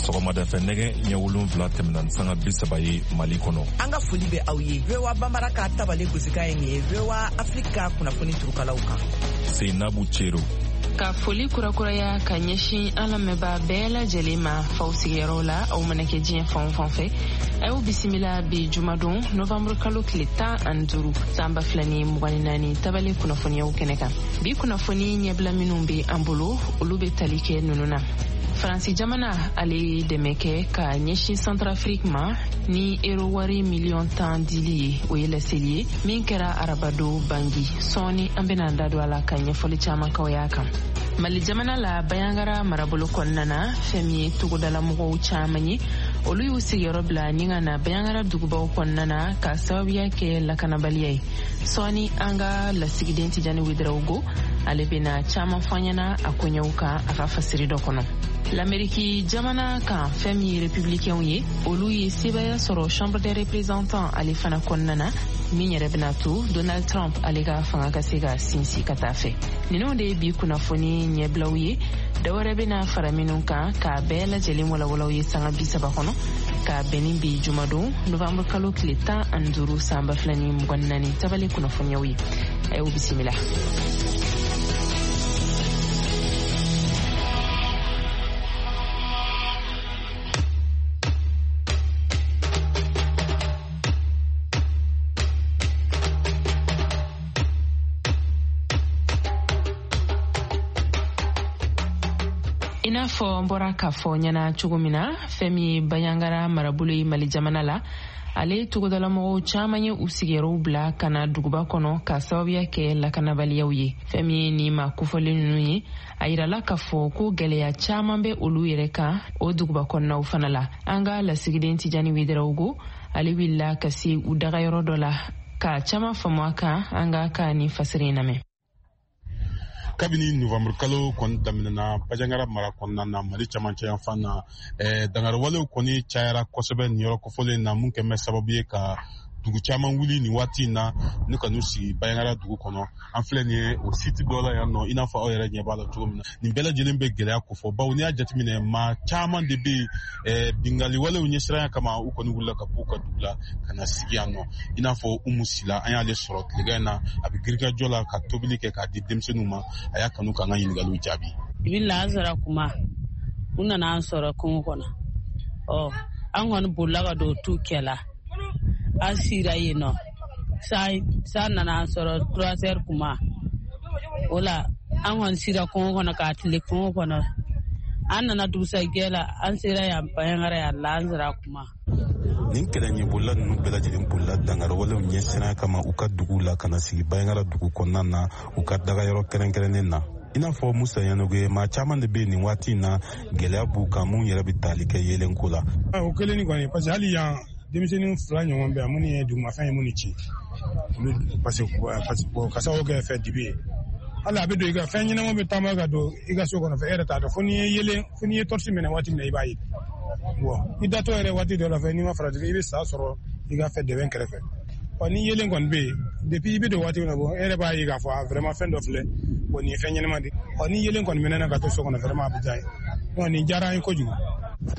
Sɔgɔmada fɛ nɛgɛ ɲɛ 7 tɛmɛna ni sanga 30 ye Mali kɔnɔ. An ka foli bɛ aw ye. VOA Bambara ka tabale gosikan ye nin ye VOA Afrique ka kunnafoni turukalaw kan. Seinabu Cero. Ka foli kurakuraya ka ɲɛsin an lamɛnbaa bɛɛ lajɛlen ma faw sigiyɔrɔw la, aw mana kɛ diɲɛ fan o fan fɛ, a y'aw bisimila bi jumadon novanburu kalo tile 15 san 2024 tabale kunnafoniyaw kɛnɛ kan. Bi kunnafoni ɲɛbila minnu bɛ an bolo, olu bɛ tali kɛ ninnu na: Faransi jamana ale ye dɛmɛ kɛ ka ɲɛsin Centrafrique ma ni ero wari miliyɔn 10 dili ye. O ye laseli ye min kɛra arabado Bangi. Sɔɔni an bɛna an da don a la ka ɲɛfɔli caman k'aw y'a kan. Mali jamana la, Bayangara marabolo kɔnɔna na, fɛn min ye togodalamɔgɔw caman ye, olu y'u sigiyɔrɔ bila ni ka na Bayangara dugubaw kɔnɔna na ka sababuya kɛ lakanabaliya ye. Sɔɔni an ka lasigiden Tijani Wedarawogo ale bɛna caman fɔ an ɲɛna a koɲɛw kan a ka fasiri dɔ kɔnɔ. Lameriki jamana kan, fɛn min ye républicainw ye, olu ye sebaya sɔrɔ Chambre des représentants ale fana kɔnɔna na, min yɛrɛ bɛna to Donald Trump ale ka fanga ka se ka sinsin ka taa fɛ. Ninnu de ye bi kunnafoni ɲɛbilaw ye. Dɔwɛrɛ bɛna fara minnu kan k'a bɛɛ lajɛlen walawalaw ye sanga 30 kɔnɔ, k'a bɛn ni bi jumadon novembre kalo tile 15 san 2024 tabale kunnafoniyaw ye. A y'o bisimila. I n'a fɔ n bɔra k'a fɔ ɲɛna cogo min na, fɛn min ye Bayangara marabolo ye Mali jamana la, ale togodalamɔgɔw caman ye u sigiyɔrɔw bila ka na duguba kɔnɔ ka sababuya kɛ lakanabaliyaw ye. Fɛn min ye nin maa kofɔlen ninnu ye, a yirala k'a fɔ ko gɛlɛya caman bɛ olu yɛrɛ kan o duguba kɔnɔnaw fana la. An ka lasigiden Tijani Wedarawogo ale wulila ka se u dagayɔrɔ dɔ la ka caman faamu a kan. An ka ka nin fasiri in lamɛn. Kabini novembre kalo kɔni daminɛna Bajangara mara kɔnɔna na, Mali camancɛ yanfan na, dangariwalew kɔni cayara kosɛbɛ nin yɔrɔ kofɔlen na, mun kɛn bɛ sababu ye ka dugu caman wuli nin waati in na ni ka n'u sigi Bayangara dugu kɔnɔ. An filɛ nin ye o site dɔ la yan nɔ, i n'a fɔ aw yɛrɛ ɲɛ b'a la cogo min na. Nin bɛɛ lajɛlen bɛ gɛlɛya kofɔ, bawo n'i y'a jateminɛ, maa caman de bɛ yen, bingaliwalew ɲɛsiranya kama, u kɔni wulila ka b'u ka dugu la ka na sigi yan nɔ. I n'a fɔ Umu Sila, an y'ale sɔrɔ tilegan in na, a bɛ girikajɔ la ka tobili kɛ k'a di denmisɛnninw ma. A y'a kanu k'an ka ɲininkaliw jaabi. I bɛ lansara kuma, u nana an sɔrɔ kungo kɔnɔ. Ɔ, an kɔni bolila ka don tu kɛ la, an sira yen nɔ. San nana an sɔrɔ 3 heures kuma o la. An kɔni sira kungo kɔnɔ k'a tile kungo kɔnɔ. An nana dugusajɛ la, an sera yan Bayangara yan lansara kuma. Nin kɛlɛ ɲɛbolila ninnu bɛɛ lajɛlen bolila dangariwalew ɲɛsiranya kama u ka duguw la ka na sigi Bayangara dugu kɔnɔna na, u ka dagayɔrɔ kɛrɛnkɛrɛnnen na. I n'a fɔ Musa Yanogo ye, maa caman de bɛ nin waati in na, gɛlɛya b'u kan mun yɛrɛ bɛ tali kɛ yeelenko la. O kelen ni kɔni, parce que hali yan denmisɛnnin fila ɲɔgɔn bɛ yan minnu ye dugumafɛn ye minnu ci olu, parce que ka sababu kɛ fɛn dibi ye. Hali a bɛ don i ka fɛn ɲɛnama bɛ taama ka don i ka so kɔnɔ fɛ, e yɛrɛ t'a dɔn fo n'i ye yelen, fo n'i ye torche minɛ waati min na i b'a ye. Bon, i datɔ yɛrɛ waati dɔ la fɛ, n'i ma farati, i bɛ sa sɔrɔ i ka fɛ dɛbɛn kɛrɛfɛ. Ɔ, ni yelen kɔni bɛ yen, depuis i bɛ don waati min na, bon, e yɛrɛ b'a ye k'a fɔ a vraiment fɛn dɔ filɛ, bon, nin ye fɛn ɲɛnama de. Ɔ, ni yelen kɔni mɛnna ka to so kɔnɔ, vraiment a bɛ diya ye. Bon, nin diyara an ye kojugu.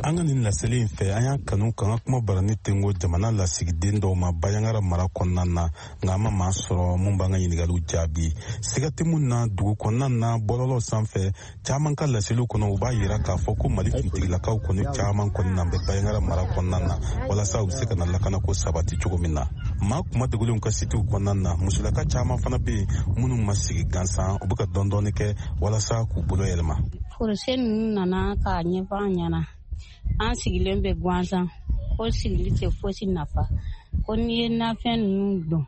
An ka nin laseli in fɛ, an y'a kanu k'an ka kuma barani tengo jamana lasigiden dɔw ma Bayangara mara kɔnɔna na, nka an ma maa sɔrɔ mun b'an ka ɲiningaliw jaabi. Siga tɛ mun na, dugu kɔnɔna na, bɔlɔlɔ sanfɛ, caman ka laseliw kɔnɔ, u b'a yira k'a fɔ ko Mali finitigilakaw kɔni caman kɔni na bɛ Bayangara mara kɔnɔna na walasa u bɛ se ka na lakanako sabati cogo min na. Maa kuma dogolenw ka sitiw kɔnɔna na, musolaka caman fana bɛ yen minnu ma sigi gansan, u bɛ ka dɔɔni kɛ walasa k'u bolo yɛlɛma. Projet ninnu nana k'a ɲɛfɔ an ɲɛna. An sigilen bɛ gansan ko sigili tɛ fosi nafa, ko n'i ye nafɛn ninnu dɔn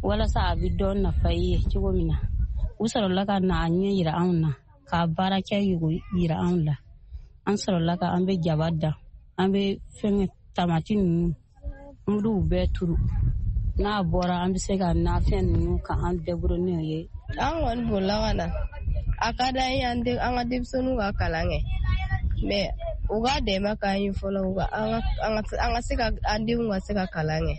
walasa a bɛ dɔn nafa i ye cogo min na. U sɔrɔla ka na a ɲɛ yira anw na, k'a baara kɛ yira anw la. An sɔrɔla ka an bɛ jaba dan, an bɛ fɛnkɛ tamati ninnu, an b'u bɛɛ turu. N'a bɔra, an bɛ se ka nafɛn ninnu ka an débrouiller n'o ye. An kɔni bolila ka na. A ka d'an ye an ka denmisɛnninw ka kalan kɛ, mais u ka dɛmɛ k'an ye fɔlɔ, an ka se ka an denw ka se ka kalan kɛ.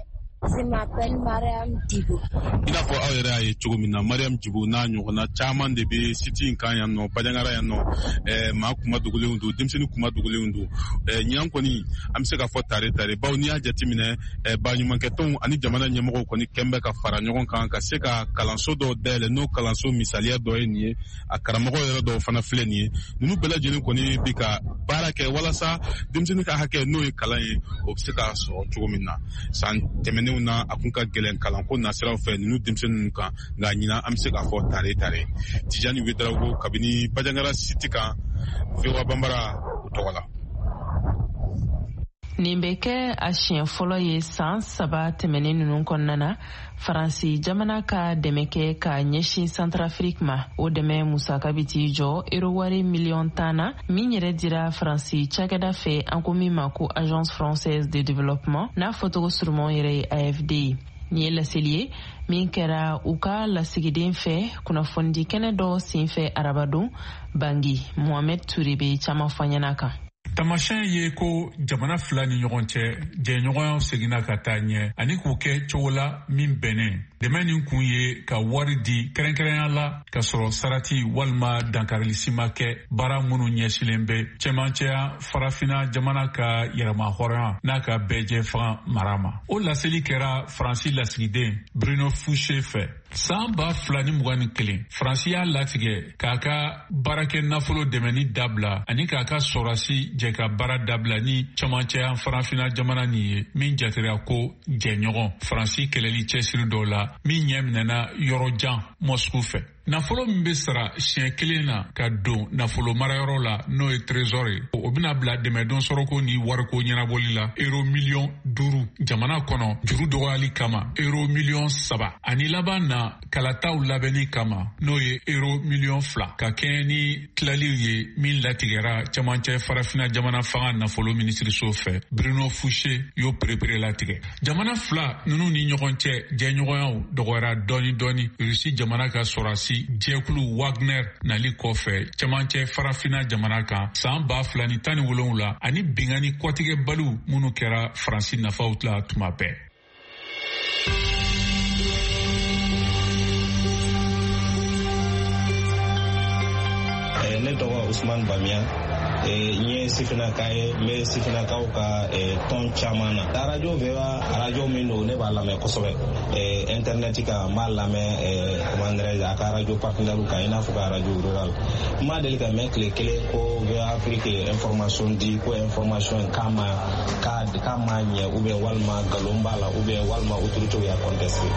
Je m'appelle Mariam Djibo. I n'a fɔ aw yɛrɛ y'a ye cogo min na, Mariam Djibo n'a ɲɔgɔnna caman de bɛ site in kan yan nɔ, Bandiagara yan nɔ. Maa kuma dogolenw don, denmisɛnnin kuma dogolenw don. Ɲinan kɔni, an bɛ se k'a fɔ tare tare, bawo n'i y'a jateminɛ, baɲumankɛtɔnw ani jamana ɲɛmɔgɔw kɔni kɛn bɛ ka fara ɲɔgɔn kan ka se ka kalanso dɔw dayɛlɛ. N'o kalanso misaliya dɔ ye nin ye, a karamɔgɔ yɛrɛ dɔw fana filɛ nin ye. Ninnu bɛɛ lajɛlen kɔni bɛ ka baara kɛ walasa denmisɛnnin ka hakɛ, n'o ye kalan ye, o bɛ se ka sɔrɔ cogo min na. San tɛmɛnenw na, a kun ka gɛlɛn kalanko nasiraw fɛ ninnu denmisɛnnin ninnu kan, nka ɲinan an bɛ se k'a fɔ tare tare. Tijani Ouédraogo, kabini Bandiagara site kan, VOA Bambara o tɔgɔ la. Nin bɛ kɛ a siɲɛ fɔlɔ ye san 3 tɛmɛnen ninnu kɔnɔna na, Faransi jamana ka dɛmɛ kɛ ka ɲɛsin Centrafrique ma. O dɛmɛ musaka bɛ t'i jɔ euro wari miliyɔn 10 na, min yɛrɛ dira Faransi cakɛda fɛ, an ko min ma ko Agence française de développement, n'a fɔcogo suruman yɛrɛ ye AFD ye. Nin ye laseli ye min kɛra u ka lasigiden fɛ kunnafonidi kɛnɛ dɔ senfɛ arabadon Bangui. Mohamed Touré bɛ caman fɔ ɲɛna kan. Tamasiyɛn ye ko jamana fila ni ɲɔgɔn cɛ jɛɲɔgɔnya seginna ka taa ɲɛ ani k'u kɛ cogo la min bɛnnen. Dɛmɛ nin kun ye ka wari di kɛrɛnkɛrɛnya la ka sɔrɔ sarati walima dankarili si ma kɛ baara minnu ɲɛsilen bɛ cɛmancɛya farafina jamana ka yɛrɛma hɔrɔnya n'a ka bɛɛjɛ fanga mara ma. O laseli kɛra Faransi lasigiden Bruno Fouché fɛ. San 2021, Faransi y'a latigɛ k'a ka baarakɛ nafolo dɛmɛni dabila ani k'a ka sɔrɔsi jɛ ka baara dabila ni cɛmancɛya farafina jamana nin ye, min jatera ko jɛɲɔgɔn Faransi kɛlɛli cɛsiri dɔw la, min ɲɛ minɛna yɔrɔ jan Moscou fɛ. Nafolo min bɛ sara siɲɛ kelen na ka don nafolo marayɔrɔ la, n'o ye trésor ye, o bɛna bila dɛmɛdon sɔrɔko ni wariko ɲɛnabɔli la euro miliyɔn 5 jamana kɔnɔ juru dɔgɔyali kama euro miliyɔn 3, ani laban na kalataw labɛnni kama, n'o ye euro miliyɔn 2, ka kɛɲɛ ni tilaliw ye min latigɛra cɛmancɛ farafina jamana fanga nafolo minisiriso fɛ. Bruno Fouché y'o perepere latigɛ. Jamana fila ninnu ni ɲɔgɔn cɛ jɛɲɔgɔnyaw dɔgɔyara dɔɔni dɔɔni Rusi jamana ka sɔrɔsi jɛkulu Wagner nali kɔfɛ cɛmancɛ farafina jamana kan san 2017, ani binkanni kɔtigɛbaliw minnu kɛra Faransi nafaw la tuma bɛɛ. Ne tɔgɔ Usman Bamiya, n ye sifinnaka ye, n bɛ sifinnakaw ka tɔn caman na. Radio VOA, radio min don, ne b'a lamɛn kosɛbɛ internet kan, n b'a lamɛn, comment dirais-je, a ka radio partenaire kan, i n'a fɔ ka radio rural. N ma deli ka mɛn tile kelen ko VOA Afrique ye information di, ko information k'a ma k'a ma ɲɛ, ou bien walima nkalon b'a la, ou bien walima autorité y'a contesté.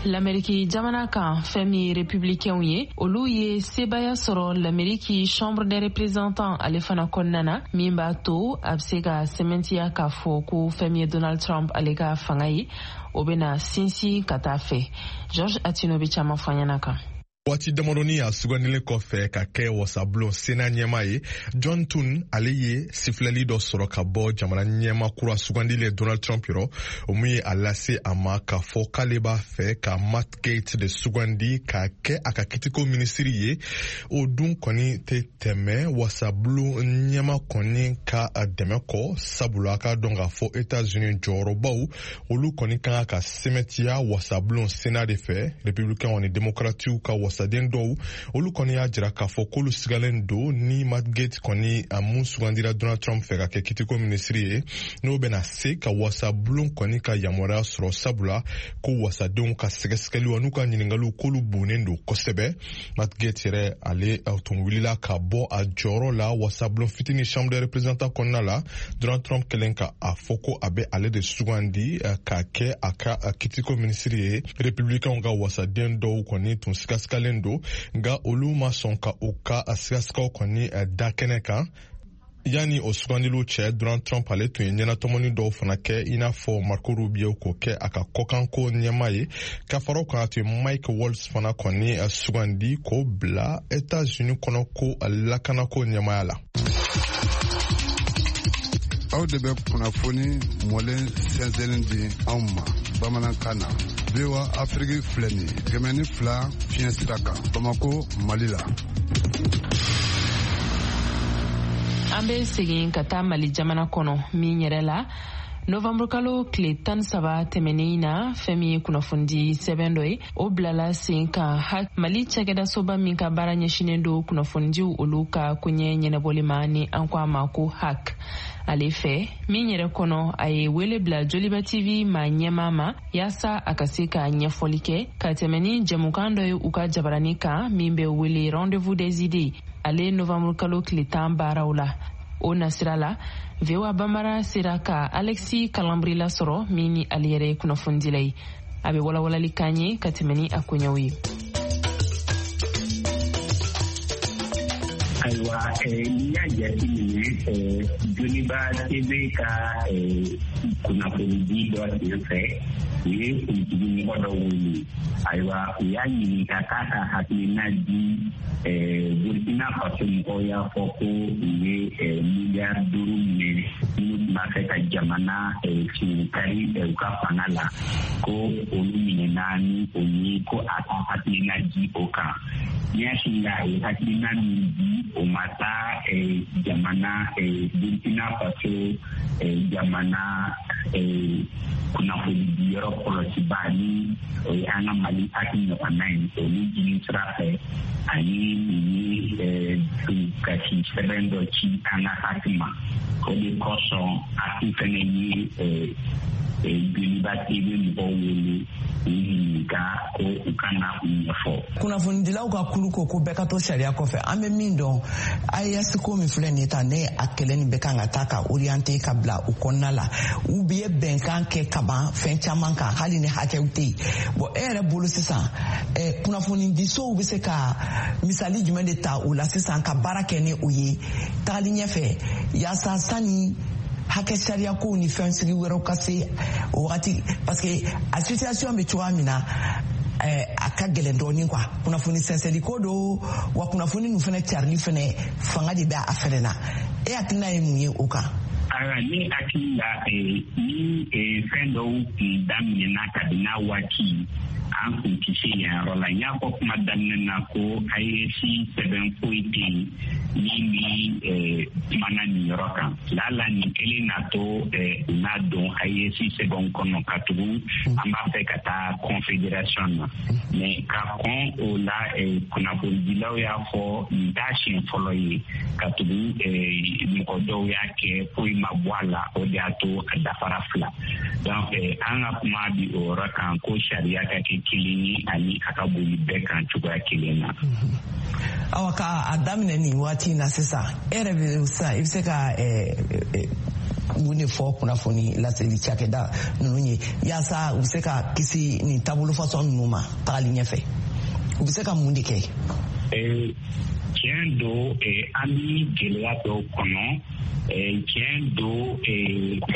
Lameriki jamana kan, fɛn min ye républicainw ye, olu ye sebaya sɔrɔ Lameriki Chambre des représentants ale fana kɔnɔna na, min b'a to a bɛ se ka sɛmɛntiya k'a fɔ ko fɛn min ye Donald Trump ale ka fanga ye, o bɛna sinsin ka taa fɛ. George Atino bɛ caman fɔ ɲɛna kan. Waati damadɔni a sugandilen kɔfɛ ka kɛ wasabulon Sena ɲɛma ye, John Thune ale ye sifilɛli dɔ sɔrɔ ka bɔ jamana ɲɛma kura sugandilen Donald Trump yɔrɔ, o mun ye a lase a ma k'a fɔ k'ale b'a fɛ ka Matt Gaetz de sugandi ka kɛ a ka kitiko minisiri ye. O dun kɔni tɛ tɛmɛ wasabulon ɲɛma kɔni ka dɛmɛ kɔ, sabula a k'a dɔn k'a fɔ Etats-Unis jɔyɔrɔbaw olu kɔni kan ka sɛmɛtiya wasabulon Sena de fɛ. Républicains ni démocratiw ka wasaden dɔw, olu kɔni y'a jira k'a fɔ k'olu sigalen don ni Matt Gaetz kɔni a mun sugandira Donald Trump fɛ ka kɛ kitiko minisiri ye, n'o bɛna se ka wasabulon kɔni ka yamaruya sɔrɔ, sabula ko wasadenw ka sɛgɛsɛgɛliw n'u ka ɲiningaliw k'olu bonnen don kosɛbɛ. Matt Gaetz yɛrɛ, ale tun wulila ka bɔ a jɔyɔrɔ la wasabulon fitini Chambre des représentants kɔnɔna la, Donald Trump kɛlen ka a fɔ ko a bɛ ale de sugandi ka kɛ a ka kitiko minisiri ye. Républicains ka wasaden dɔw kɔni tun sigasigalen don, nka olu ma sɔn ka u ka sigasigaw kɔni da kɛnɛ kan. Yanni o sugandiliw cɛ, Donald Trump ale tun ye ɲɛnatɔmɔni dɔw fana kɛ, i n'a fɔ Marco Rubio k'o kɛ a ka kɔkanko ɲɛma ye. Ka fara o kan, a tun ye Mike Waltz fana kɔni sugandi k'o bila Etats-Unis kɔnɔ ko lakanako ɲɛmaya la. Aw de bɛ kunnafoni mɔlen sɛnsɛnni di anw ma bamanankan na. VOA Afrique filɛ nin ye, 102 fiɲɛ sira kan, Bamako, Mali la. An bɛ segin ka taa Mali jamana kɔnɔ min yɛrɛ la, novanburu kalo tile 13 tɛmɛnen na, fɛn min ye kunnafonidi sɛbɛn dɔ ye, o bilala sen kan Mali cakɛdasoba min ka baara ɲɛsinen don kunnafonidiw olu ka koɲɛ ɲɛnabɔli ma, ni an ko a ma ko HAC, ale fɛ min yɛrɛ kɔnɔ, a ye wele bila Joliba TV ma ɲɛmaa ma, yaasa a ka se ka ɲɛfɔli kɛ ka tɛmɛ ni jɛmukan dɔ ye u ka jabarani kan min bɛ wele Rendez-vous des idées, ale novanburu kalo tile 10 baaraw la. O nasira la, VOA Bambara sera ka Alexis Kalambry lasɔrɔ, min ni ale yɛrɛ ye kunnafonidila ye. A bɛ walawalali k'an ye ka tɛmɛ ni a koɲɛw ye. Ayiwa, n'i y'a jateminɛ, Joliba TV ka kunnafonidi dɔ senfɛ, u ye politiki mɔgɔ dɔ wele. Ayiwa, u y'a ɲininka k'a ka hakilina di. Burkina Faso mɔgɔw y'a fɔ ko u ye miliyari 5 minɛ, minnu tun b'a fɛ ka jamana kari u ka fanga la, ko olu minɛna ni o ye, ko a ka hakilina di o kan. Ni hakili la, a ye hakilina min di, o ma taa jamana Burkina Faso jamana kunnafonidiyɔrɔ kɔlɔsiba, ni o ye an ka Mali HAC ɲɔgɔnna ye, olu jini sira fɛ, ani u ye kasi sɛbɛn dɔ ci an ka HAC ma. O de kosɔn HAC fɛnɛ ye Joliba TV mɔgɔw wele k'u ɲininka ko u ka na u ɲɛfɔ. Kunnafonidilaw ka kulu ko ko bɛɛ ka to sariya kɔfɛ. An bɛ min dɔn, AES ko min filɛ nin ye tan, ne a kɛlɛ nin bɛ kan ka taa ka orienté ka bila u kɔnɔna la. U ye bɛnkan kɛ ka ban fɛn caman kan, hali ni hakɛw tɛ yen. Bon, e yɛrɛ bolo sisan, kunnafonidisow bɛ se ka misali jumɛn de ta o la sisan ka baara kɛ ni o ye tagali ɲɛfɛ, yaasa sani hakɛ sariya kow ni fɛn sigi wɛrɛw ka se o wagati? Parce que a situation bɛ cogoya min na, a ka gɛlɛn dɔɔnin quoi. Kunnafoni sɛnsɛnli ko don wa, kunnafoni ninnu fɛnɛ carili fɛnɛ, fanga de bɛ a fɛnɛ na. E hakilina ye mun ye o kan? Ayiwa, ne hakili la, ni fɛn dɔw kun daminɛna kabini n'a waati, an kun tɛ se yan yɔrɔ la. N y'a fɔ kuma daminɛ na ko AES sɛbɛn foyi tɛ yen min bi kumana nin yɔrɔ kan. Lala nin kelen n'a to u n'a don AES sɛbɛnw kɔnɔ, ka tugu an b'a fɛ ka taa confédération na. Mais ka kɔn o la, kunnafonidilaw y'a fɔ nin t'a siɲɛ fɔlɔ ye, ka tugu mɔgɔ dɔw y'a kɛ, foyi ma bɔ a la. O de y'a to a dafara fila. Donc an ka kuma bi o yɔrɔ kan, ko sariya ka kɛ kelen ye ani a ka boli bɛɛ kan cogoya kelen na. Awa, ka a daminɛ nin waati in na sisan, e yɛrɛ bɛ sisan, i bɛ se ka mun de fɔ kunnafoni laseli cakɛda ninnu ye, yaasa u bɛ se ka kisi nin taabolo fasɔn ninnu ma tagali ɲɛfɛ? U bɛ se ka mun de kɛ? Tiɲɛ don, an bi gɛlɛya dɔw kɔnɔ. Tiɲɛ don,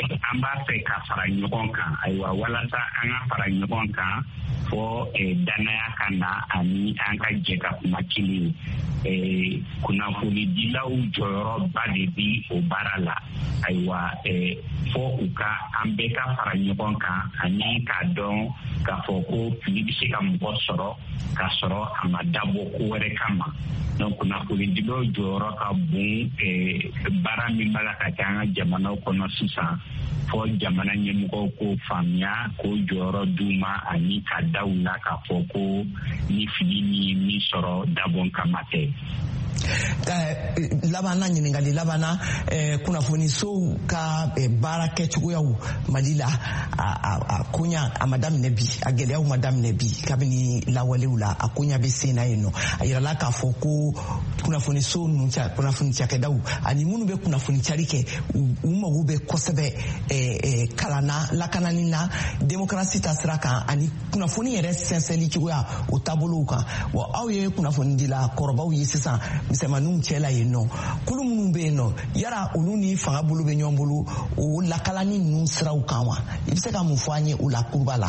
an b'a fɛ ka fara ɲɔgɔn kan. Ayiwa, walasa an ka fara ɲɔgɔn kan, fɔ danaya ka na ani an ka jɛ ka kuma kelen ye. Kunnafonidilaw jɔyɔrɔba de bi o baara la. Ayiwa, fɔ u ka an bɛɛ ka fara ɲɔgɔn kan ani k'a dɔn k'a fɔ ko fili bɛ se ka mɔgɔ sɔrɔ k'a sɔrɔ a ma dabɔ ko wɛrɛ kama. Donc kunnafonidilaw jɔyɔrɔ ka bon baara min b'a la ka kɛ an ka jamanaw kɔnɔ sisan, fɔ jamana ɲɛmɔgɔw k'o faamuya, k'o jɔyɔrɔ d'u ma, ani ka da u la k'a fɔ ko ni fili min ye min sɔrɔ, dabɔn kama tɛ. Labanna, ɲininkali labanna, kunnafonisow ka baara kɛcogoyaw Mali la, a koɲa a ma daminɛ bi, a gɛlɛyaw ma daminɛ bi. Kabini lawalew la, a koɲa bɛ sen na yen nɔ. A yirala k'a fɔ ko kunnafoniso ninnu, kunnafoni cakɛdaw ani minnu bɛ kunnafoni cari kɛ, u mago bɛ kosɛbɛ kalan na, lakanani na, démocratie ta sira kan, ani kunnafoni yɛrɛ sɛnsɛnli cogoya, o taabolow kan. Wa aw ye kunnafonidila kɔrɔbaw ye sisan misɛnmaninw cɛ la yen nɔ, kulu minnu bɛ yen nɔ, yala olu ni fanga bolo bɛ ɲɔgɔn bolo o lakalani ninnu siraw kan wa? I bɛ se ka mun fɔ an ye o la kuruba la,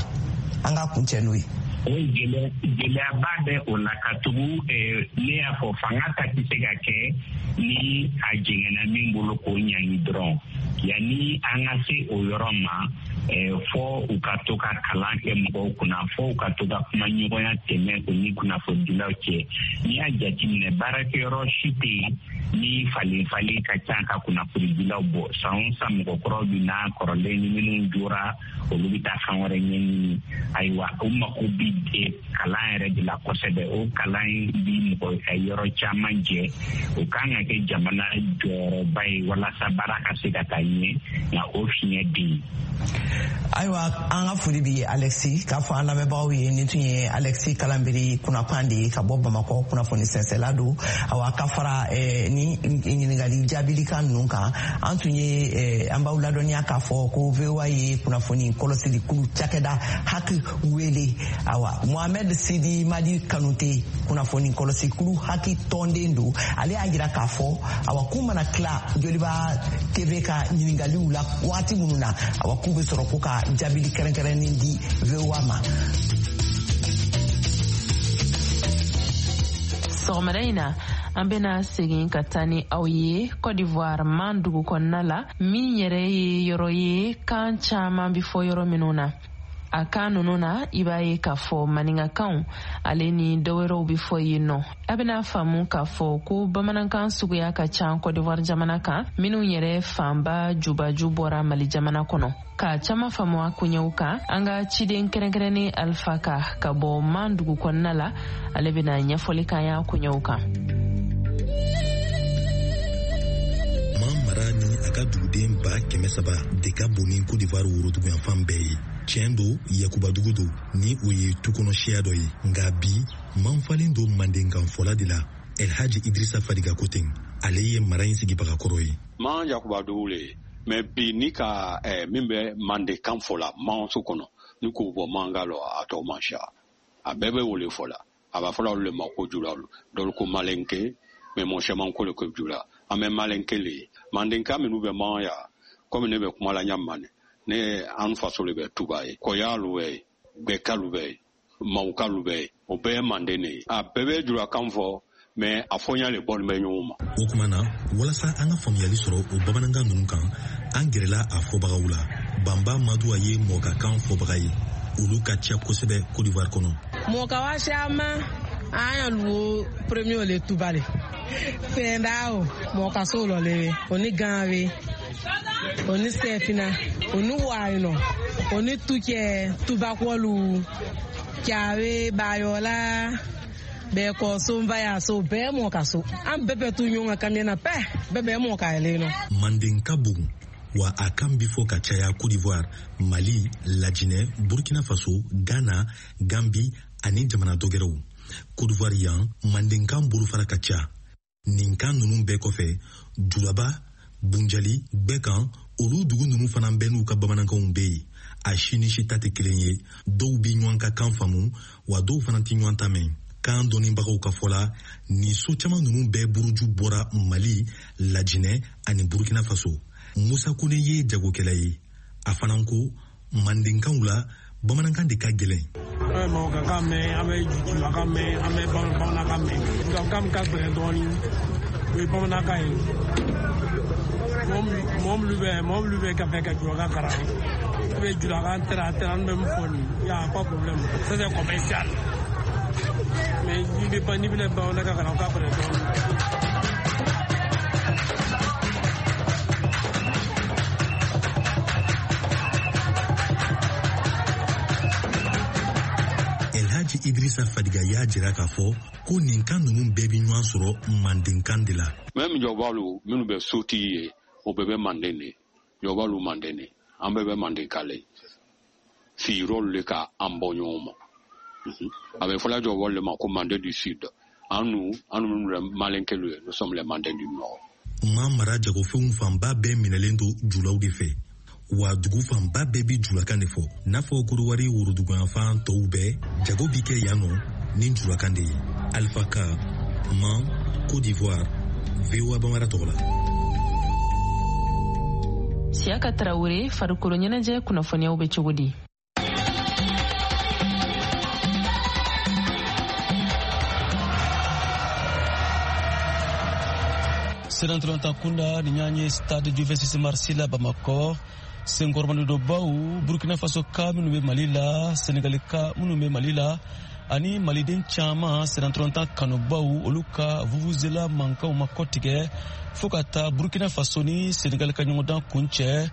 an ka kuncɛ n'o ye? O gɛlɛyaba bɛ o la, ka tugu ne y'a fɔ, fanga ta tɛ se ka kɛ ni a jɛngɛnna min bolo k'o ɲangi dɔrɔn. Yanni an ka se o yɔrɔ ma, fɔ u ka to ka kalan kɛ mɔgɔw kunna, fɔ u ka to ka kuma ɲɔgɔnya tɛmɛ u ni kunnafonidilaw cɛ. N'i y'a jateminɛ, baarakɛyɔrɔ si tɛ yen. Ni falen falen ka ca ka kunnafonidilaw bɔ, san o san mɔgɔ kuraw bɛ na, kɔrɔlen ni minnu jɔra, olu bɛ taa fɛn wɛrɛ ɲɛɲini. Ayiwa, o mako bɛ kalan yɛrɛ de la kosɛbɛ. O kalan bi mɔgɔ yɔrɔ caman jɛ. O kan ka kɛ jamana jɔyɔrɔba ye walasa baara ka se ka taa ɲɛ, nka o fiɲɛ bɛ yen. Ayiwa, an ka foli bi Alexi k'a fɔ an lamɛnbagaw ye, nin tun ye Alexi Kalanbiri kunnakan de ye ka bɔ Bamakɔ, kunnafoni sɛnsɛla don. Awa, ka fara ni ɲininkali jaabilikan ninnu kan, an tun ye an b'aw ladɔnniya k'a fɔ ko VOA ye kunnafoni kɔlɔsili kulu cakɛda HAC wele. Awa, Mohamed Sidi Madi Kanute, kunnafoni kɔlɔsi kulu HAC tɔnden don, ale y'a jira k'a fɔ, awa, k'u mana tila Joliba TV ka ɲininkaliw la waati minnu na, awa, k'u bɛ sɔrɔ ko ka jaabili kɛrɛnkɛrɛnnen di VOA ma. Sɔgɔmada in na, an bena segin ka taa ni aw ye Cote d'Ivoire Man dugu kɔnɔna la, min yɛrɛ ye yɔrɔ ye kan caaman bi fɔ yɔrɔ minnu na. A kan nunu na, i b'a ye k'a fɔ maninkakanw ale ni dɔwɛrɛw bi fɔ yen nɔ. A bena faamu k'a fɔ ko bamanankan suguya ka ca Cote d'Ivoire jamana kan, minw yɛrɛ fanba jubaju bɔra Mali jamana kɔnɔ. Ka caaman faamu a koɲɛw kan, an ka ciden kɛrɛnkɛrɛnnen Alpha Ka ka bɔ Man dugu kɔnɔna la, ale bena ɲɛfɔli k'an y'a koɲɛw kan. Man mara ni a ka duguden 300,000 de ka bon ni Cote d'Ivoire woroduguyanfan bɛɛ ye. Tiɲɛ don, yakubadugu don ni o ye tu kɔnɔ siya dɔ ye, nka bi Man falen don mandenkan fɔla de la. Elhaji Idrissa Fadiga ko ten, ale ye mara in sigibaga kɔrɔ ye. Man yakubadugu le ye, mɛ bi ni ka min bɛ mandenkan fɔ la manso kɔnɔ, ni k'o bɔ mankan lɔ, a tɔ man siya, a bɛɛ bɛ wele fɔ la. A b'a fɔla olu le ma ko julalu, dɔlu ko malenke, mɛ mɔgɔ caman ko le ko jula. An bɛ malenke le ye. Mandenkan minnu bɛ man ya, komi ne bɛ kuma la ɲa ma, ne an faso le bɛ Tuba ye, kɔyalu bɛ yen, gbɛkalu bɛ yen, mawukalu bɛ yen, o bɛɛ ye manden de ye. A bɛɛ bɛ julakan fɔ, mɛ a fɔɲa le bɔlen bɛ ɲɔgɔn ma. O tuma na, walasa an ka faamuyali sɔrɔ o bamanankan ninnu kan, an gɛrɛla a fɔbagaw la. Banba Maduwa ye mɔgɔkakan fɔbaga ye, olu ka ca kosɛbɛ Cote d'Ivoire kɔnɔ. Mɔgɔkawa caman an ya luwo premier le Tuba le fɛnda o mɔgɔkaso lɔ le o ni ganwe o ni sɛfina o ni wayinɔ o ni tukɛ tubakɔlu kyawe bayɔla bɛɛ kɔ so nba y'a so bɛɛ mɔ ka so an bɛɛ bɛ tu ɲɔgɔn kan kamiyɛn na pɛ bɛɛ bɛ mɔ ka yɛlɛ nɔ. Manden ka bon wa a kan bi fɔ ka caya Cote d'Ivoire, Mali, Lajinɛ, Burkina Faso, Ghana, Gambi ani jamana dɔgɛrɛw. Cote d'Ivoire yan, mandenkan bolofara ka ca. Nin kan ninnu bɛɛ kɔfɛ, Julaba, Bunjali, Gbɛkan, olu dugu ninnu fana bɛɛ n'u ka bamanankanw bɛ yen. A si ni si ta tɛ kelen ye. Dɔw bi ɲɔgɔn ka kan faamu, wa dɔw fana tɛ ɲɔgɔn ta mɛn. Kan dɔnnibagaw ka fɔ la, nin so caman ninnu bɛɛ buruju bɔra Mali, Lajinɛ ani Burkina Faso. Musa Kone ye jagokɛla ye. A fana ko mandenkanw la, bamanankan de ka gɛlɛn. An bɛ mɔgɔkankan mɛn, an bɛ julakan mɛn, an bɛ bamanankan mɛn. Julakan min ka gɛlɛn dɔɔnin, o ye bamanankan ye. Mɔgɔ minnu bɛ ka fɛ ka julakan kalan, i bɛ julakan tɛra tɛra, n bɛ min fɔ nin, y a pas problème, ça c'est commercial. Mais n'i bɛna bamanankan kalan, o ka gɛlɛn dɔɔnin. Idrissa Fadiga y'a jira k'a fɔ ko nin kan ninnu bɛɛ bɛ ɲɔgɔn sɔrɔ mandenkan de la. Même jɔbalu minnu bɛ sotigi ye, o bɛɛ bɛ manden de. Jɔbalu manden de, an bɛɛ bɛ manden kan le. Sigiyɔrɔlu le ka an bɔ ɲɔgɔn ma. A bɛ fɔla jɔbalu le ma ko manden du sud. An nu minnu bɛ malenkelu ye, nous sommes les manden du nord. Man mara jagofɛnw fanba bɛɛ minɛlen don julaw de fɛ. Wa dugu fanba bɛɛ bi julakan de fɔ, n'a fɔ Kodowari woroduguyanfan tɔw bɛɛ, jago bi kɛ yan nɔ ni julakan de ye. Alpha Ka, Man, Côte d'Ivoire, VOA Bambara tɔgɔ la. Siyaka Tarawele, farikolo ɲɛnajɛ kunnafoniyaw bɛ cogo di? Senatɔlɔntan kunda ni ɲɔgɔn ye Stade du 26 mars la Bamakɔ. Senkɔrɔmadonbaw Burkina Faso ka minnu bɛ Mali la, Senegali ka minnu bɛ Mali la, Ani maliden caman sennantolatan kanubaw, olu ka vuvuzela mankanw ma kɔtigɛ fo ka taa Burkina Faso ni Senegal ka ɲɔgɔndan kuncɛ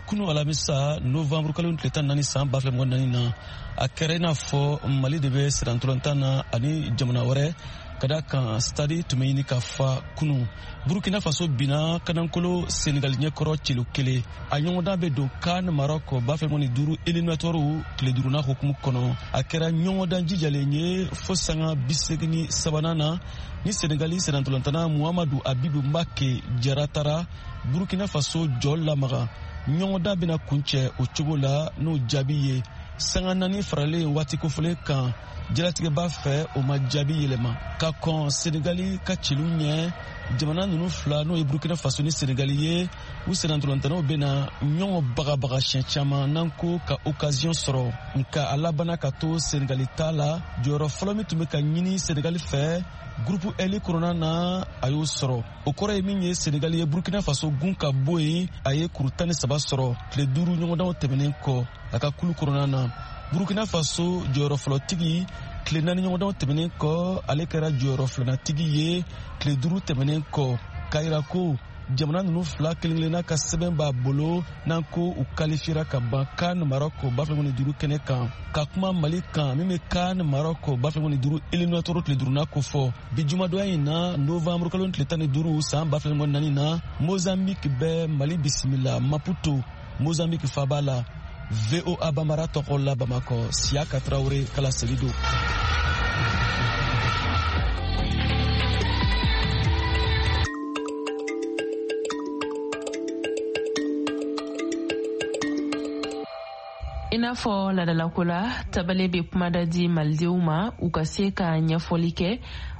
kunu alamisa novembre kalo tile 14 san 2024 na. A kɛra i n'a fɔ Mali de bɛ sennantolatan na ani jamana wɛrɛ, ka da kan stade tun bɛ ɲini ka fa kunu. Burkina Faso binna kanankolo Senegal ɲɛkɔrɔ celu 1. A ɲɔgɔndan bɛ don CAN Maroc 2025 éliminatoire tile duurunan hukumu kɔnɔ. A kɛra ɲɔgɔndan jijalen ye fo sanga 83nan na ni Senegali sennantolatan Muhamadu Abibu Mbake Jara taara Burkina Faso jɔ lamaga. Ɲɔgɔndan bɛna kuncɛ o cogo la n'o jaabi ye sanga 4 faralen waati kofɔlen kan. Jalatigɛba fɛ, o ma jaabi yɛlɛma ka kɔn Senegali ka celu ɲɛ. Jamana nunu fila, n'o ye Burkina Faso ni Senegali ye, u sennantolantanaw bena ɲɔgɔn bagabaga siɲɛ caman n'an ko ka occasion sɔrɔ, nka a labana ka to Senegali ta la. Jɔyɔrɔ fɔlɔ min tun bɛ ka ɲini Senegali fɛ groupe L kɔnɔna na, a y'o sɔrɔ. O kɔrɔ ye min ye, Senegali ye Burkina Faso gun ka bɔ yen. A ye kuru 13 sɔrɔ tile 5 ɲɔgɔndanw tɛmɛnen kɔ a ka kulu kɔnɔna na. Burkina Faso jɔyɔrɔ fɔlɔtigi, tile 4 ɲɔgɔndanw tɛmɛnen kɔ, ale kɛra jɔyɔrɔ filanatigi ye tile 5 tɛmɛnen kɔ, k'a yira ko jamana ninnu fila kelen kelenna ka sɛbɛn b'a bolo n'an ko u kalifiyera ka ban CAN Maroc 2025 kɛnɛ kan. Ka kuma Mali kan min bɛ CAN Maroc 2025 éliminatoire tile duurunan kofɔ bi jumadonya in na, novembre kalo tile 15 san 2024 na, Mozambique bɛ Mali bisimila Maputo, Mozambique faba la. VOA Bambara tɔgɔ la Bamakɔ, Siyaka Tarawele kala seli don. I n'a fɔ ladalako la, tabale bɛ kumada di malidenw ma u ka se ka ɲɛfɔli kɛ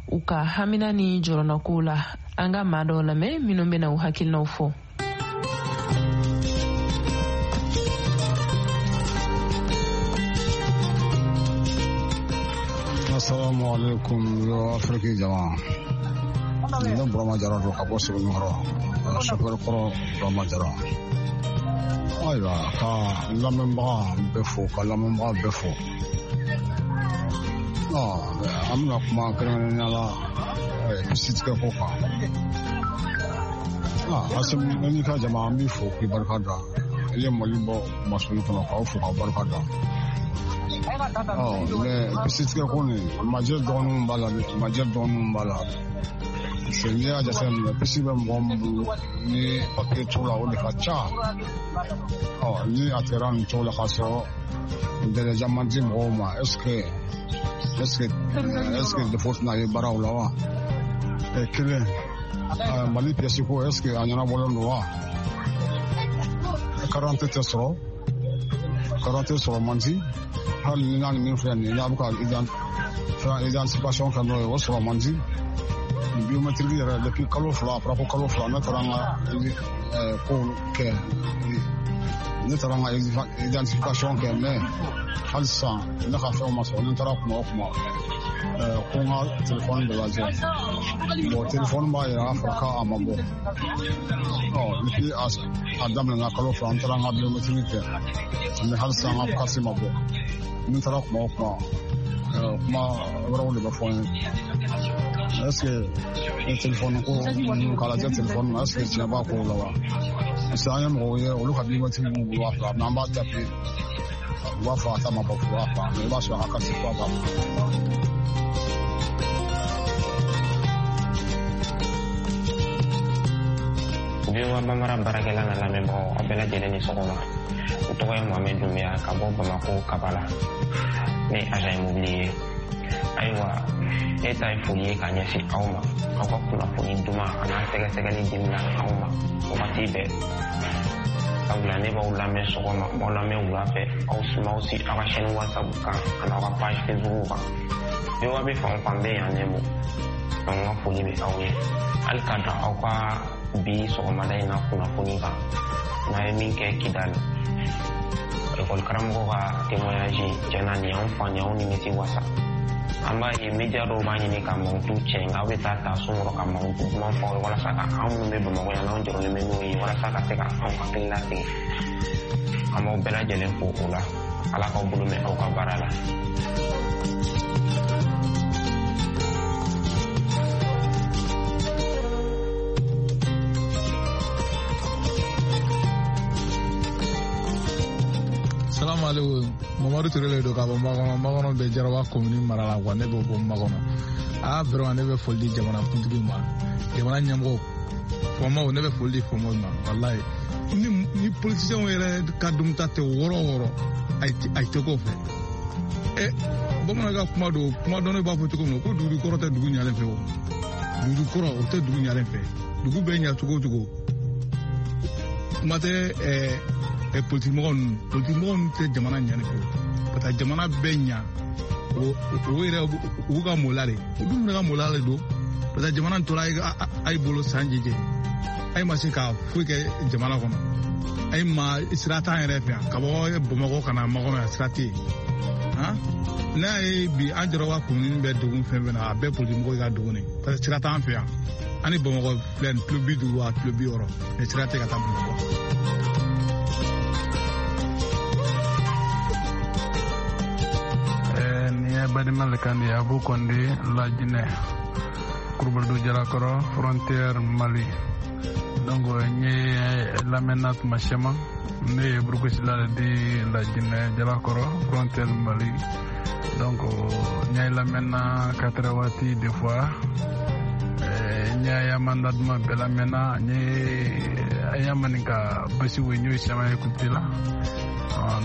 u ka hamina ni jɔrɔnɔkow la. An ka maa dɔw lamɛn minnu bɛna u hakilinaw fɔ. Assalamu alaikum, yo Afrique jama. Ne Burama Jara don ka bɔ Sebenikɔrɔ, chauffeur kɔrɔ Burama Jara. Ayiwa, ka lamɛnbaga bɛɛ fo, ka lamɛnbaga bɛɛ fo. An bɛna kuma kɛrɛnkɛrɛnnenya la pisitigɛ ko kan. Asimi, n'i ka jama, an b'i fo k'i barika da. I ye Mali bɔ masuli kɔnɔ, k'aw fo k'aw barika da. Mais pisitigɛ ko nin, majɛ dɔgɔninw b'a la, majɛ dɔgɔninw b'a la. Parce que n'i y'a jateminɛ, pisi bɛ mɔgɔ min bolo ni papiye t'o la, o de ka ca. Ni a kɛra nin cogo la k'a sɔrɔ dɛlɛja man di mɔgɔw ma, est ce que défaut tɛna ye baaraw la wa? Kelen, Mali pièce ko, est ce que a ɲɛnabɔlen don wa? Carte tɛ sɔrɔ, carte sɔrɔ man di. Hali ni n'a ni min filɛ nin ye, n'a bɛ ka identification kɛ n'o ye, o sɔrɔ man di. Biométrique yɛrɛ, depuis kalo 2, a fɔra ko kalo 2, ne taara n ka kow kɛ, ne taara n ka identification kɛ, mais hali sisan ne ka fɛnw ma sɔrɔ. Ni n taara kuma o kuma ko n ka telefɔni de lajɛ, bon, telefɔni b'a yira a fɔra k'a ma bɔ. Depuis a daminɛna kalo 2, n taara n ka biométrique kɛ, mais hali sisan n ka carte ma bɔ. Ni n taara kuma o kuma, kuma wɛrɛw de bɛ fɔ n ye. Est ce que téléphone ko ninnu k'a lajɛ téléphone na, est ce que tiɲɛ b'a kow la wa? Parce que an ye mɔgɔw ye, olu ka biométrique b'u bolo a fila, mais an b'a taper, u b'a fɔ a ta ma bɔ fɔlɔ a fila, mais i b'a sɔrɔ a ka carte kura b'a bolo. VOA Bambara baarakɛla na lamɛnbagaw, aw bɛɛ lajɛlen ni sɔgɔma. N tɔgɔ ye Mohamed Doumbia ka bɔ Bamako Kabala. Ne ye agent immobilier ye. Ayiwa, ne ta ye foli ye ka ɲɛsin aw ma, aw ka kunnafoni duman a n'a sɛgɛsɛgɛli dimina anw ma wagati bɛɛ. Sabula ne b'aw lamɛn sɔgɔma, n b'aw lamɛn wula fɛ, aw sumaw si aw ka chaîne WhatsApp kan ani aw ka page Facebook kan. VOA bɛ fan o fan bɛ yan nɛmo. Donc n ka foli bɛ aw ye. Hali ka dan aw ka bi sɔgɔmada in na kunnafoni kan, n'a ye min kɛ Kidali, ekɔli karamɔgɔ ka témoignage, tiɲɛna nin y'anw fa, nin y'anw nimisi wasa. An b'a ye media dɔw b'a ɲini ka mankutu cɛ, nka aw bɛ taa ta so kɔrɔ ka mankutu duman fɔ aw ye walasa ka anw minnu bɛ Bamakɔ yan n'anw jɔrɔlen bɛ n'o ye, walasa ka se ka anw hakili lasigi. An b'aw bɛɛ lajɛlen fo o la. Ala k'aw bolo mɛn aw ka baara la. Alaikum. Mamadu Ture le don ka bɔ Makɔnɔ. Makɔnɔ bɛ Jaraba commune mara la quoi. Ne bɛ bɔ Makɔnɔ. Ah, vraiment, ne bɛ foli di jamana kuntigi ma. Jamana ɲɛmɔgɔw, faamaw, ne bɛ foli di faamaw ma. Walayi. Ni politiciens yɛrɛ ka dunta tɛ wɔɔrɔ o wɔɔrɔ, a tɛ k'o fɛ. Bamanan ka kuma don, kuma dɔn b'a fɔ cogo min na ko dugu kɔrɔ tɛ dugu ɲalen fɛ o. Dugu kɔrɔ o tɛ dugu ɲalen fɛ. Dugu bɛ ɲa cogo o cogo. Kuma tɛ politikimɔgɔ ninnu. Politikimɔgɔ ninnu tɛ jamana ɲani fɛ. Ka taa jamana bɛɛ ɲa, o yɛrɛ u ka mɔla de. O dun fana ka mɔla de don. Parce que jamana tora a ye bolo san jije. A ye ma se ka foyi kɛ jamana kɔnɔ. A ye ma sira t'an yɛrɛ fɛ yan. Ka bɔ Bamakɔ ka na Makɔnɔ yan, sira tɛ yen. N'a ye bi an Jaraba commune bɛ degun fɛn fɛn na, a bɛɛ politikimɔgɔw ka degun de. Parce que sira t'an fɛ yan. An ni Bamakɔ filɛ nin kilo 50 wa kilo 60. Mais sira tɛ ka taa Bamakɔ. Nin ye Badima le kan di Abu Konde Lajinɛ Kurubalidu Jalakɔrɔ frontière Mali. Donc n ye lamɛnna tuma caman. Ne ye Burukisila le di Lajinɛ Jalakɔrɔ frontière Mali. Donc n ye lamɛnna 4 waati des fois. N ye mandat duman bɛɛ lamɛnna. N ye a maninka basi wo n y'o caman écouté la.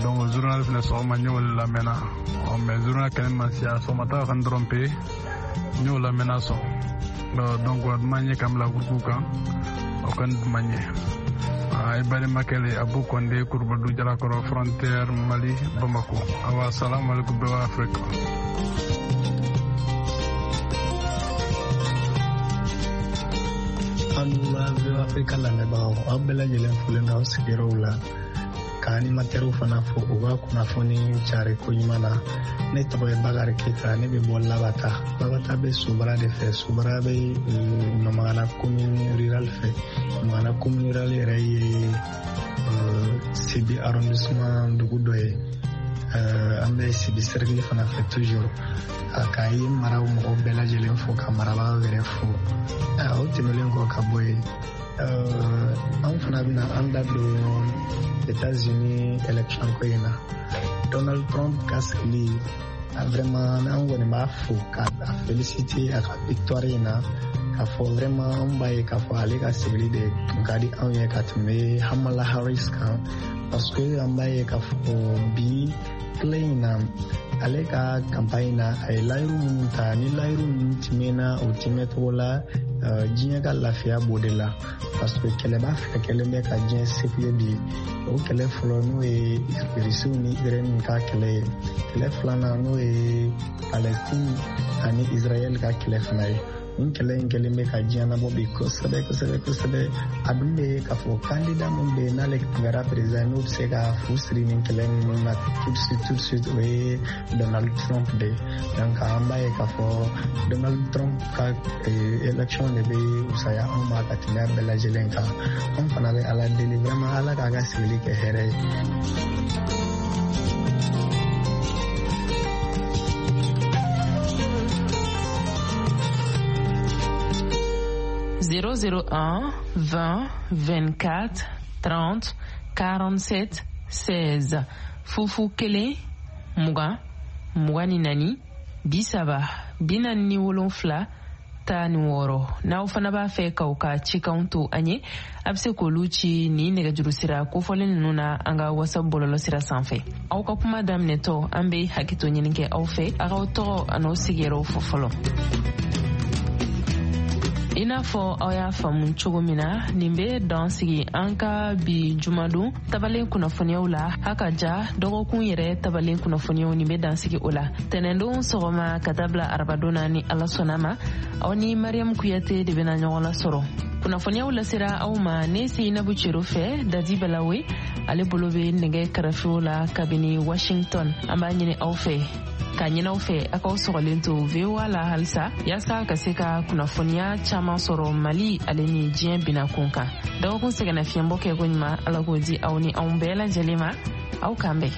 Donc journal fɛnɛ sɔgɔma n y'o lamɛnna. Mais journal kɛnɛ ma siya sɔgɔmata kan dɔrɔn pe n y'o lamɛnna sɔn. Donc a duman ye k'an bila groupe kan, o kan duman ye. I balimakɛ le Abu Konde Kurubadu Jalakɔrɔ frontière Mali Bamako. Awa salamu alaikum bɛɛ Afrique. An la VOA Afrika lamɛnbagaw, aw bɛɛ lajɛlen folen don aw sigiyɔrɔw la, ka animatɛriw fana fo u ka kunnafoni cari ko ɲuman na. Ne tɔgɔ ye Bakari Keyita, ne bɛ bɔ Labata. Labata bɛ Sobara de fɛ. Sobara bɛ Nɔmagana commune rurale fɛ. Nɔmagana commune rurale yɛrɛ ye Sibi arrondissement dugu dɔ ye. An bɛ Sibi cercle fana fɛ toujours. Ka ye maraw mɔgɔw bɛɛ lajɛlen fo, ka marabagaw yɛrɛ fo. O tɛmɛnen kɔ ka bɔ yen, an fana bɛna an da don États-Unis élection ko in na. Donald Trump ka sigili, vraiment an kɔni b'a fo k'a féliciter a ka victoire in na, k'a fɔ vraiment an b'a ye k'a fɔ ale ka sigili de tun ka di anw ye ka tɛmɛ Kamala Harris kan, parce que an b'a ye k'a fɔ bi tile in na, ale ka campagne na, a ye layiru minnu ta, ni layiru ninnu timɛna o timɛcogo la, diɲɛ ka lafiya b'o de la. Parce que kɛlɛba fila kɛlen bɛ ka diɲɛ secouer bi. O kɛlɛ fɔlɔ n'o ye Rusiw ni Ukraine ka kɛlɛ ye. Kɛlɛ filanan n'o ye Palestine ani Israël ka kɛlɛ fana ye. Nin kɛlɛ in kɛlen bɛ ka diɲɛ nabɔ bi kosɛbɛ kosɛbɛ kosɛbɛ. A dun bɛ ye k'a fɔ candidat min bɛ yen n'ale tun kɛra président, n'o bɛ se ka fu siri nin kɛlɛ ninnu na tout de suite, o ye Donald Trump de ye. Donc an b'a ye k'a fɔ Donald Trump ka élection de bɛ fisaya anw ma ka tɛmɛ a bɛɛ lajɛlen kan. An fana bɛ Ala deli vraiment Ala k'a ka sigili kɛ hɛrɛ ye. 001 20 24 30 47 16 fufu 1 20 24 30 47 16. N'aw fana b'a fɛ k'aw ka cikanw to an ye, a bɛ se k'olu ci ni nɛgɛjuru sira kofɔlen ninnu na an ka WhatsApp bɔlɔlɔ sira sanfɛ. Aw ka kuma daminɛtɔ, an bɛ hakɛto ɲini kɛ aw fɛ, a k'aw tɔgɔ an'aw sigiyɔrɔw fɔ fɔlɔ. I n'a fɔ aw y'a faamu cogo min na, nin bɛ dan sigi an ka bi jumadon tabalen kunnafoniyaw la. Ha ka ja dɔgɔkun yɛrɛ tabalen kunnafoniyaw, nin bɛ dan sigi o la. Tɛnɛndon sɔgɔma ka taa bila arabadon na, ni Ala sɔnna ma, aw ni Mariam Kuyate de bɛna ɲɔgɔn lasɔrɔ. Kunnafoniyaw lasera aw ma ne Seyinabu Cero fɛ. Dadi Balawe ale bolo bɛ nɛgɛ kɛrɛfɛw la kabini Washington. An b'a ɲini aw fɛ k'a ɲini aw fɛ a k'aw sɔgɔlen to VOA la halisa, yaasa ka se ka kunnafoniya caman sɔrɔ Mali ale ni diɲɛ bina kun kan. Dɔgɔkun sɛgɛnnafiɲɛbɔ kɛ ko ɲuman, Ala k'o di aw ni anw bɛɛ lajɛlen ma. Aw k'an bɛn.